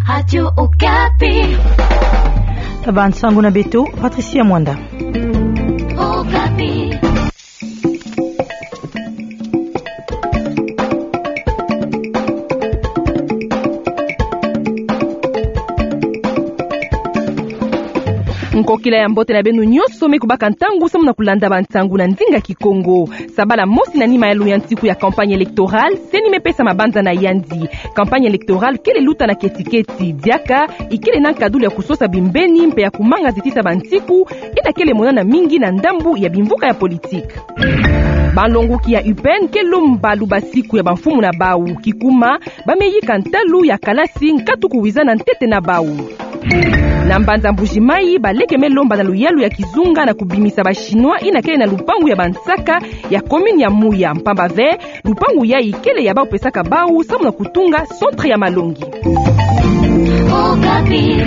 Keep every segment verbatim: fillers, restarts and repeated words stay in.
Radio Okapi. Ba nsangu na beto, Patricia Mwanda. Okapi. Nkokila ya mbote na beno nyonso me kubaka ntangu samu na kulanda ba nsangu na ndinga Kikongo. Sabala mosi na nima ya luyantiku ya campagne électorale, CENI me pesa mabanza na yandi. Campagne électorale kele luta na keti-keti, diaka ikele na nkadulu ya kusosa bimbeni mpe ya kumanga zitisa ba ntiku, ina kele monana mingi na ndambu ya bimvuka ya politique. Ba nlonguki ya UPN ke lomba lubasiku ya ba mfumu na bau, kikuma ba me yika ntalu ya kalasi nkatu kuwizana ntete na bau. Na mbanza Mbuji-Mayi, baleke me lomba na luyalu ya kizunga na kubimisa ba Chinois ina kele na lupangu ya ba nsaka ya commune ya Muya, mpamba ve lupangu yayi kele ya bau pesaka bau samu na kutunga centre ya malongi. Okapi.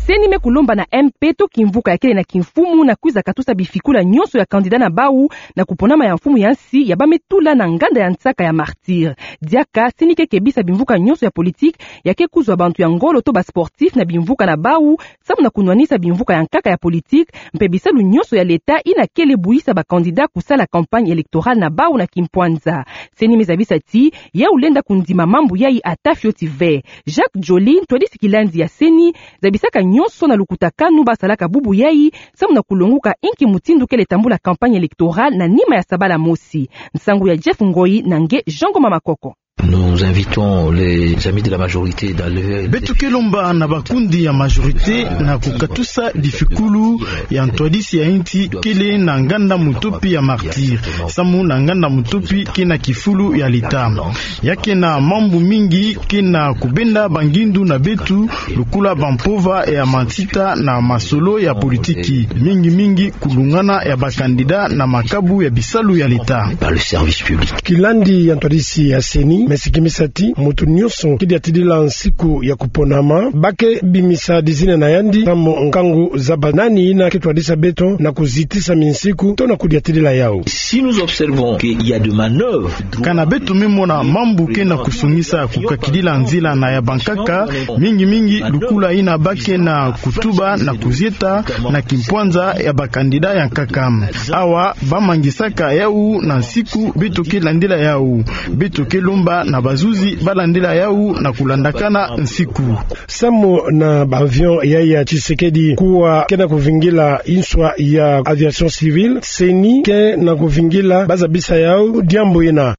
CENI me kulomba na MP to kimvuka ya kele na kimfumu na kwiza katusa bifikula nyonso ya candidat na bau na kuponama ya mfumu ya nsi ya ba me tula na nganda ya nsaka ya Martyrs. Diaka CENI ke kebisa bimvuka nyonso ya politique ya ke kuzwa bantu ya ngolo to ba sportifs na bimvuka na bau, samu na kunwanisa bimvuka ya nkaka ya politique mpe bisalu nyonso ya leta ina kele buyisa ba candidat kusala campagne électorale na bau na kimpwanza. CENI me zabisa ti yau lenda kundima mambu yayi ata fioti ve. Jacques Joly, ntwadisi kilandi ya CENI, zabisaka nyonso na lukutakanu ba salaka bubu yayi samu na kulonguka inki mutindu kele tambula campagne électorale na nima ya sabala mosi. Nsangu ya Jeff Ngoyi na nge Jean Ngoma Makoko. Nous invitons les amis de la majorité dans le... Beto ke lomba na bakundi ya majorité na kukatusa difikulu ya ntwadisi ya insi kele na nganda mutopi ya Martyrs, samu na nganda mutopi ke na kifulu ya leta. Ya ke na mambu mingi ke na kubenda bangindu na beto, lokola bampova ya matsita na masolo ya politiki, mingi-mingi kulungana ya ba candidat na makabu ya bisalu ya leta. Par le service public. Kilandi ya ntwadisi ya CENI me sikimisa ti mutu nyonso ke diatidila nsiku ya kuponama, ba ke bimisa dizina na yandi samu nkangu zaba nani ina ke twadisa beto na kuzitisa minsiku to na kudiatidila yau. Si nous observons qu'il y a de manœuvres... Kana beto me mona mambu ke na kusongisa kukakidila nzila na ya bankaka, mingi-mingi lokola ina ba ke na kutuba na kuzieta na kimpwanza ya ba candidat ya nkaka. Awa ba mangisaka yau na nsiku beto ke landila yau. Beto ke lomba na bazuzi ba landila yau na kulandakana nsiku. Samu na ba avion ya ya Tshisekedi kuwa ke na kuvingila nswa ya aviation civile, CENI ke na kuvingila ba zabisa yau diambu ina.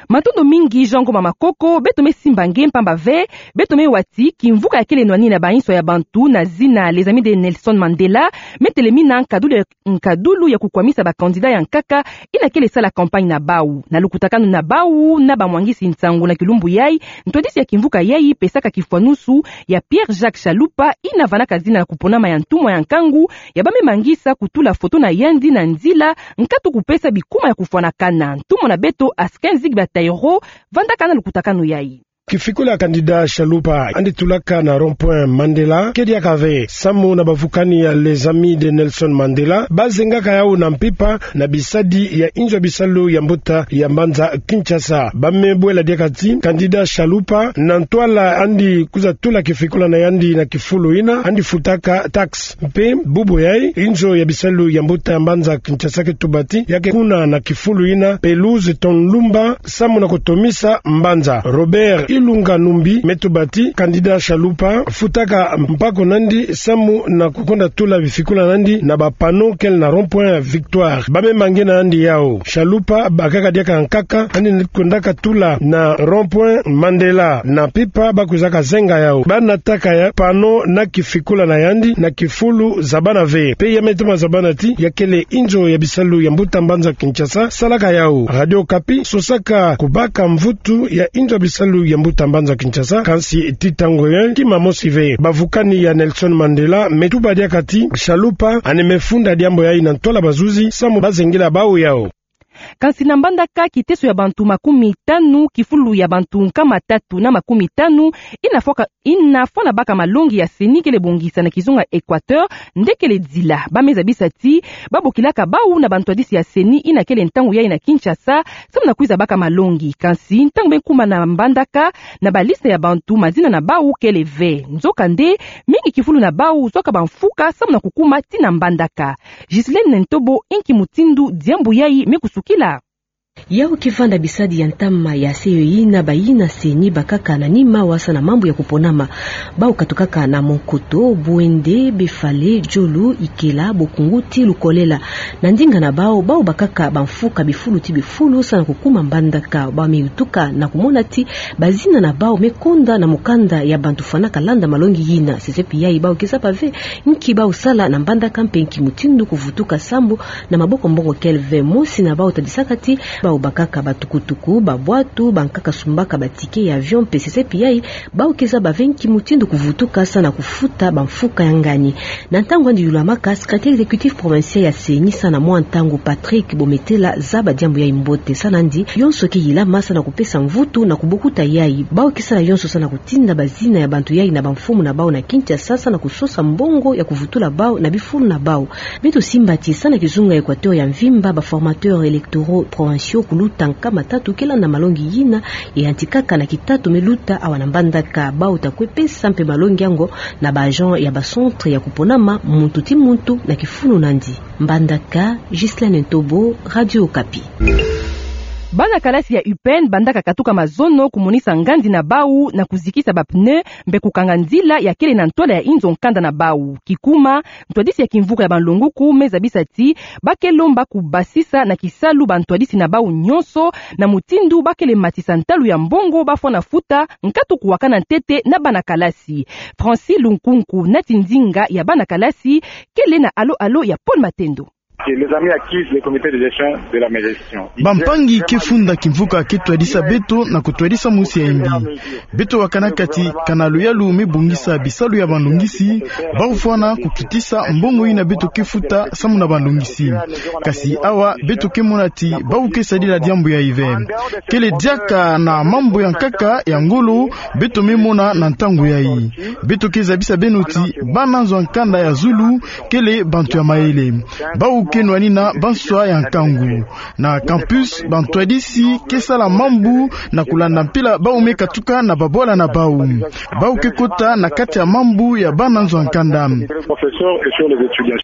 Matondo mingi Jean Ngoma Makoko, beto me simba nge mpamba ve beto me wa ti kimvuka ya kele nwanina ba nswa ya bantu na zina Les Amis de Nelson Mandela me telemina nkadulu ya, nkadulu ya kukwamisa ba candidat ya nkaka ina kele sala campagne na bau. Na lukutakanu na bau na ba mwangisi nsangu na kilumbu yayi, ntwadisi ya kimvuka yayi pesaka kifwanusu ya Pierre Jacques Chalupa ina vandaka zina na kuponama ya ntumwa ya nkangu ya ba me mangisa kutula foto na yandi na nzila, nkatu kupesa bikuma ya kufwanakana. Ntumwa na beto Askin Zigba Tairo vandaka na lukutakanu yayi. Kifikulu ya candidat Chalupa yandi tulaka na rond-point Mandela ke diaka ve. Samu na bavukani ya Les Amis de Nelson Mandela, ba zengaka yau na mpimpa na bisadi ya inzo ya bisalu ya mbuta ya mbanza Kinshasa. Ba me bwela diaka ti candidat Chalupa, na ntwala yandi kwiza tula kifikulu na yandi na kifulu ina, yandi futaka taxe. Mpe bubu yayi, inzo ya bisalu ya mbuta ya mbanza Kinshasa ke tuba ti ya ke kuna na kifulu ina pelouse to lumba samu na kutomisa mbanza. Robert Ilunga Numbi me tuba ti candidat Chalupa futaka mpaku na yandi samu na kukonda tula bifikulu na yandi na ba panneau kele na rond-point Victoire. Ba me mangina yandi yau. Chalupa bakaka diaka nkaka, yandi kondaka tula na rond-point Mandela na mpimpa ba kwizaka zenga yau. Ba nataka ya panneau na kifikulu na yandi na kifulu zabana ve. Mpe ya me toma zabana ti ya kele inzo ya bisalu ya mbuta mbanza Kinshasa salaka yau. Radio Okapi sosaka kubaka mvutu ya inzo ya bisalu ya mbuta mbanza Kinshasa, kansi ti ntangu yayi kima mosi ve. Bavukani ya Nelson Mandela me tuba diaka ti Chalupa yandi me funda diambu yayi na ntwala bazuzi samu ba zengila bau yau. Kansi na mbandaka, kiteso ya bantu makumi tanu, kifulu ya bantu nkama tatu na makumi tanu, ina fwa ka, ina fwa na baka malongi ya CENI kele bongisa na kizunga Equateur, nde kele dila. Ba me zabisa ti ba bokilaka bau na bantwadisi ya CENI ina kele ntangu yayi na Kinshasa, samu na kwiza baka malongi. Kansi ntangu me kuma na mbandaka, na baliste ya bantu, mazina na bau kele ve. Nzokande, mingi kifulu na bau zwaka bamfuka samu na kukuma tii na mbandaka. Ghislaine Ntobo, inki mutindu diambu yayi me kusukila? Yau kivanda bisadi ya ntama ya seyo yina bayina CENI bakaka na nima wasa na mambu ya kuponama. Bau katukaka na Monkoto, Bouendé, Befale, Djolu, Ikela, Bokungu ti Lukolela. Na ndinga na bau, bau bakaka bamfuka bifulu ti bifulu samu na kukuma mbandaka. Bau me yutuka na kumona ti bazina na bau me konda na mukanda ya bantu fwanaka landa malongi yina. Sesepi yayi bau keza bave nki bau sala na mbandaka mpe nki mutindu kuvutuka sambu na maboko mbongo kele ve. Mosi na bau tadisaka ti bau bakaka batukutuku, babwatu, bankaka sumbaka batike ya avion mpe sesepi yayi bau keza bave nki mutindu kuvutuka samu na kufuta bamfuka ya ngani. Na ntangu andi yulamaka, secrétaire exécutif provincial ya CENI samu na mwa ntangu, Patrick Bometela, zaba diambu yayi mbote. Samu nandi, yonso ke yilama samu na kupesa mvutu na kubokuta yayi. Bau ke sala yonso samu na kutinda bazina ya bantu yayi na bamfumu na bau na Kinshasa samu na kusosa mbongo ya kuvutula bau na bifulu na bau. Beto simba ti samu na kizunga Equateur ya mvimba, ba formateurs électoraux provinciaux kuluta nkama tatu ke landa malongi yina, yantikaka na kitatu me luta awa na mbandaka. Bau ta kwe pesa mpe malongi yango na ba agents ya ba centres ya kuponama, muntu ti muntu na kifulu nandi. Mbandaka, Ghislaine Ntobo, Radio Okapi. Bana kalasi ya UPN bandaka katuka mazono kumonisa ngandi na bau na kuzikisa ba pneus mpe kukanga nzila ya kele na ntwala ya inzo nkanda na bau. Kikuma, ntwadisi ya kimvuka ya banlonguku me zabisa ti ba ke lomba kubasisa na kisalu bantwadisi na bau nyonso, na mutindu ba kele matisa ntalu ya mbongo ba fwana futa, nkatu kuwakana ntete na bana kalasi. Francis Lunkunku, nati ndinga ya bana kalasi, kele na alo-alo ya Paul Matendo. Les amis acquis, le comité de gestion de la maison. Bampangi ke funda kimvuka ke twadisa beto na kutwadisa mosi ya imbi. Beto wakanaka ti kana luyalu me bongisa bisalu ya banlongisi, bau fwana kukitisa mbongo yina beto ke futa samu na banlongisi. Kasi awa beto ke mona ti bau ke sadila diambu yayi ve. Kele diaka na mambu ya nkaka ya ngolo beto me mona na ntangu yayi. Beto ke zabisa beno ti bana nzo ya nkanda ya zulu kele bantu ya mayele. Bau ke nwanina banswa ya nkangu. Na campus, bantwadisi ke sala mambu na kulanda mpila bau me katuka na babwala na bau. Bau ke kota na kati ya mambu ya bana nzo ya nkanda. Professeurs et sur les étudiants.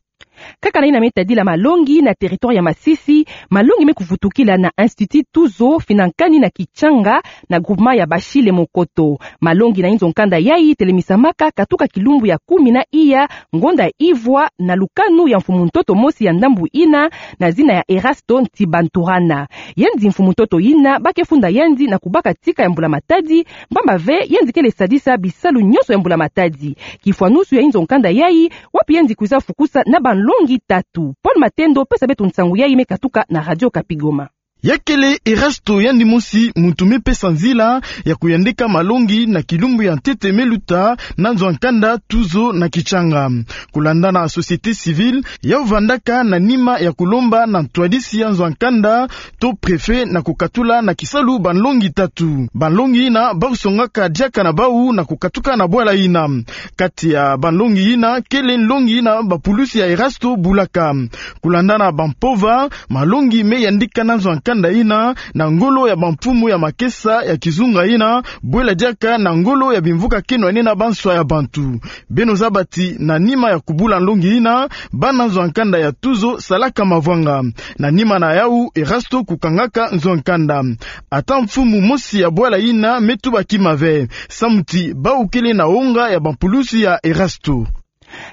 Kaka na yina me tadila malongi na territoire ya Masisi, malongi me kuvutukila na Institut Tuzo, finankani na Kichanga, na groupement ya Bashile Monkoto. Malongi na inzo nkanda yayi telemisamaka katuka kilumbu ya kumi na iya, ngonda ivwa, na lukanu ya mfumu ntoto mosi ya ndambu yina, na zina ya Erasto Ntibanturana. Yandi mfumu ntoto yina ba ke funda yandi na kubaka tika ya mbula matadi, mpamba ve yandi kele sadisa bisalu nyonso ya mbula matadi. Kifwanusu ya inzo nkanda yayi, wapi yandi kwiza fukusa na banlongi tatu. Paul Matendo pesa beto nsangu yayi me katuka na Radio Okapi Goma. Ya kele Erasto yandi mosi muntu me pesa nzila ya kuyandika malongi na kilumbu ya ntete me luta na nzo ya nkanda Tuzo na Kichanga. Kulanda na société civile, yau vandaka na nima ya kulomba na ntwadisi ya nzo ya nkanda to préfet na kukatula na kisalu banlongi tatu. Banlongi yina bau songaka diaka na bau na kukatuka na bwala yina. Kati ya banlongi yina, kele nlongi yina bapulusi ya Erasto bulaka. Kulanda na bampova, malongi me yandika na nzo ya nkanda yina, na ngolo ya bamfumu ya makesa ya kizunga yina, bwela diaka na ngolo ya bimvuka ke nwanina banswa ya bantu. Beno zaba ti na nima ya kubula nlongi yina, bana nzo ya nkanda ya Tuzo salaka mavwanga. Na nima na yau, Erasto kukangaka nzo ya nkanda. Ata mfumu mosi ya bwala yina me tuba kima ve, samu ti bau kele na wonga ya bampulusi ya Erasto.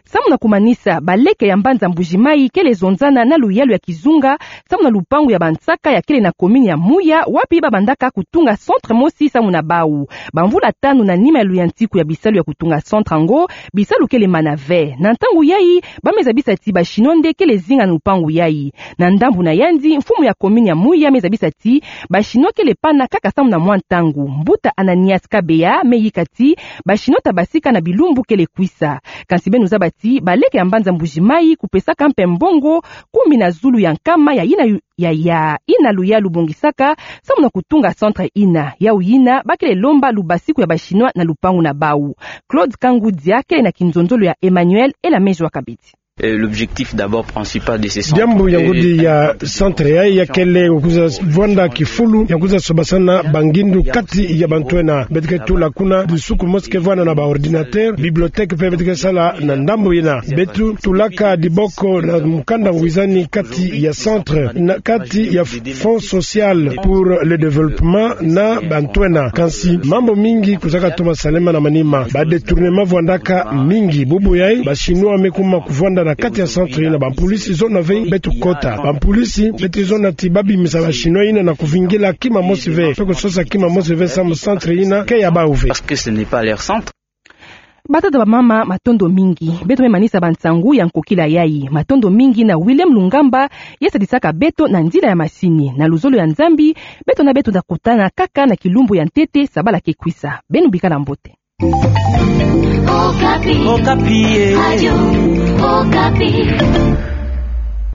Samu na kumanisa, baleke ya mbanza Mbuji-Mayi kele zonzana na luyalu ya kizunga, samu na lupangu ya bansaka ya kele na commune ya Muya, wapi ba bandaka kutunga centre mosi samu na bau. Bamvula tanu na nima ya luyantiku ya bisalu ya kutunga centre yango, bisalu kele mana ve. Na ntangu yayi, ba me zabisa ti ba Chinois nde kele zinga na lupangu yayi. Na ndambu na yandi, mfumu ya commune ya Muya me zabisa ti ba Chinois kele pana kaka samu na mwa ntangu. Mbuta Ananias Kabeya me yika ti ba Chinois ta basika na bilumbu kele kwisa. Kansi beno zaba ti baleke ya mbanza Mbuji-Mayi kupesaka mpe mbongo kumi na zulu ya nkama ya yina yu-, ya, ya yina luyalu bongisaka samu na kutunga centre yina. Yau yina bakele lomba lubasiku ya ba Chinois na lupangu na bau. Claude Kangudia kele na kinzonzolo ya Emmanuel Elamejwa Kabedi. Euh, l'objectif d'abord principal de ce centre, diambu ya ngudi ya centre yayi ya kele kwiza vwanda kifulu ya kwiza sobasana bangindu kati ya bantu ena. Beto ke tula kuna disuku mosi ke vwanda na ba ordinateur, bibliothèque mpe beto ke sala na ndambu yina. Beto tulaka diboko na mukanda ngwizani kati ya centre, na kati ya Fonds social pour le développement na bantu ena. Kansi mambu mingi kwizaka toma salama na manima. Ba détournement vwandaka mingi. Bubu yayi, ba Chinois me kuma kuvwanda na kati ya centre yina. Bampulisi zona ve beto kota. Bampulisi beto zona ti babimisa ba Chinois yina na kuvingila kima mosi ve, mpe kusosa kima mosi ve samu centre yina ke ya bau ve. Parce que ce n'est pas leur centre. Batata, bamama, matondo mingi. Beto me manisa bansangu ya nkokila yayi. Matondo mingi na Willem Lungamba, ye sadisaka beto na nzila ya masini. Na luzolo ya Nzambi, beto na beto ta kutana kaka na kilumbu ya ntete sabala ke kwisa. Beno bikala mbote. Okapi. Okapi, eh. Radio Okapi.